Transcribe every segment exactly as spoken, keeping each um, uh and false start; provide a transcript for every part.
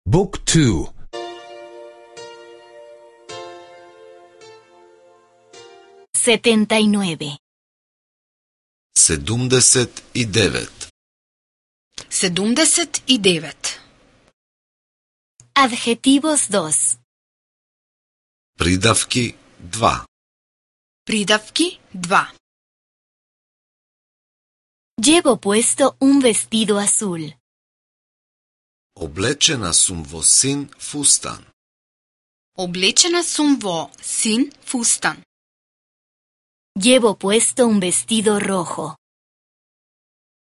Book two. setenta y nueve. седумдесет и девет. седумдесет и девет. Adjetivos dos. Придавки два. Придавки два. Llevo puesto un vestido azul. Облечена сум во син фустан. Облечена сум во син фустан. Llevo puesto un vestido rojo.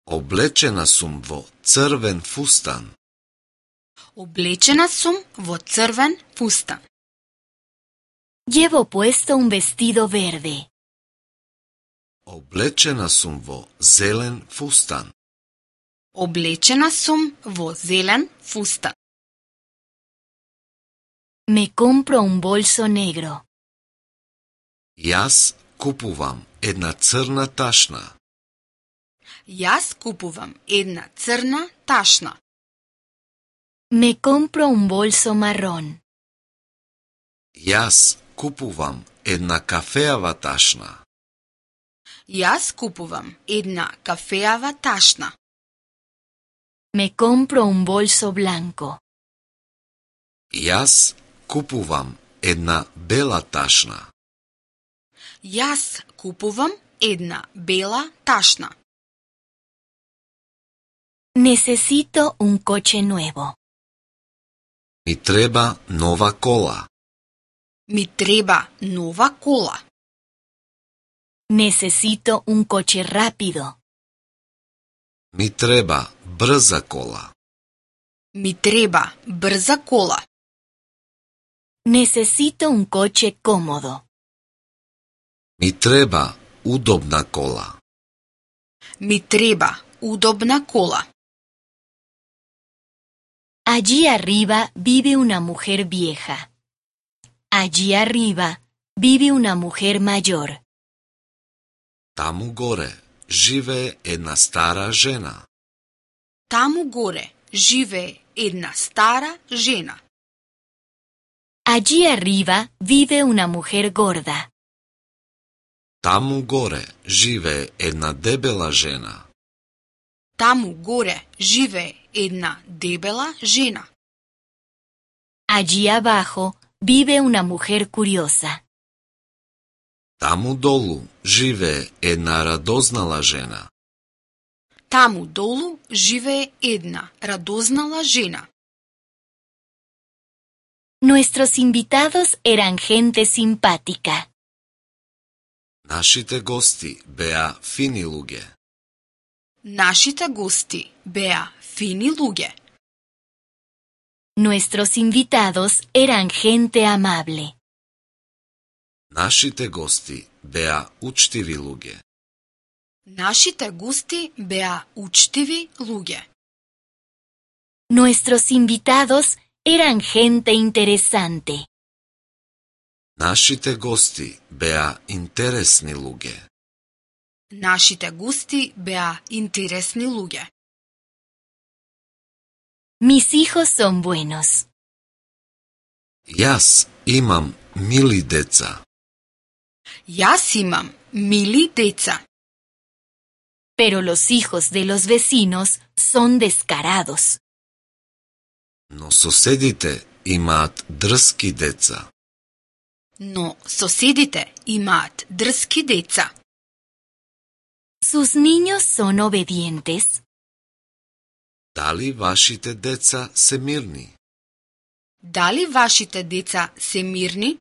Облечена сум во црвен фустан. Облечена сум во црвен фустан. Llevo puesto un vestido verde. Облечена сум во зелен фустан. Облечена сум во зелен фустан. Me compro un bolso negro. Јас купувам една црна ташна. Јас купувам една црна ташна. Me compro un bolso marrón. Јас купувам една кафеава ташна. Јас купувам една кафеава ташна. Me compro un bolso blanco. Јас купувам една бела ташна. Јас купувам една бела ташна. Necesito un coche nuevo. Ми треба нова кола. Ми треба нова кола. Necesito un coche rápido. Ми треба брза кола. Ми треба брза кола. Necesito un coche cómodo. Ми треба удобна кола. Ми треба удобна кола. Allí arriba vive una mujer vieja. Allí arriba vive una mujer mayor. Таму горе живее една стара жена. Таму горе живее една стара жена. Allí arriba vive una mujer gorda. Таму горе живее една дебела жена. Таму горе живее една дебела жена. Allí abajo vive una mujer curiosa. Таму долу живее една радознала жена. Таму долу живее една радознала жена. Nuestros invitados eran gente simpática. Нашите гости беа фини луѓе. Нашите гости беа фини луѓе. Nuestros invitados eran gente amable. Нашите гости беа учтиви луѓе. Нашите гости беа учтиви луѓе. Nuestros invitados eran gente interesante. Нашите гости беа интересни луѓе. Нашите гости беа интересни луѓе. Mis hijos son buenos. Јас имам мили деца. Јас имам мили деца. Pero los hijos de los vecinos son descarados. Но соседите имаат дрски деца. Но соседите имаат дрски деца. ¿Sus niños son obedientes? Дали вашите деца се мирни? Дали вашите деца се мирни?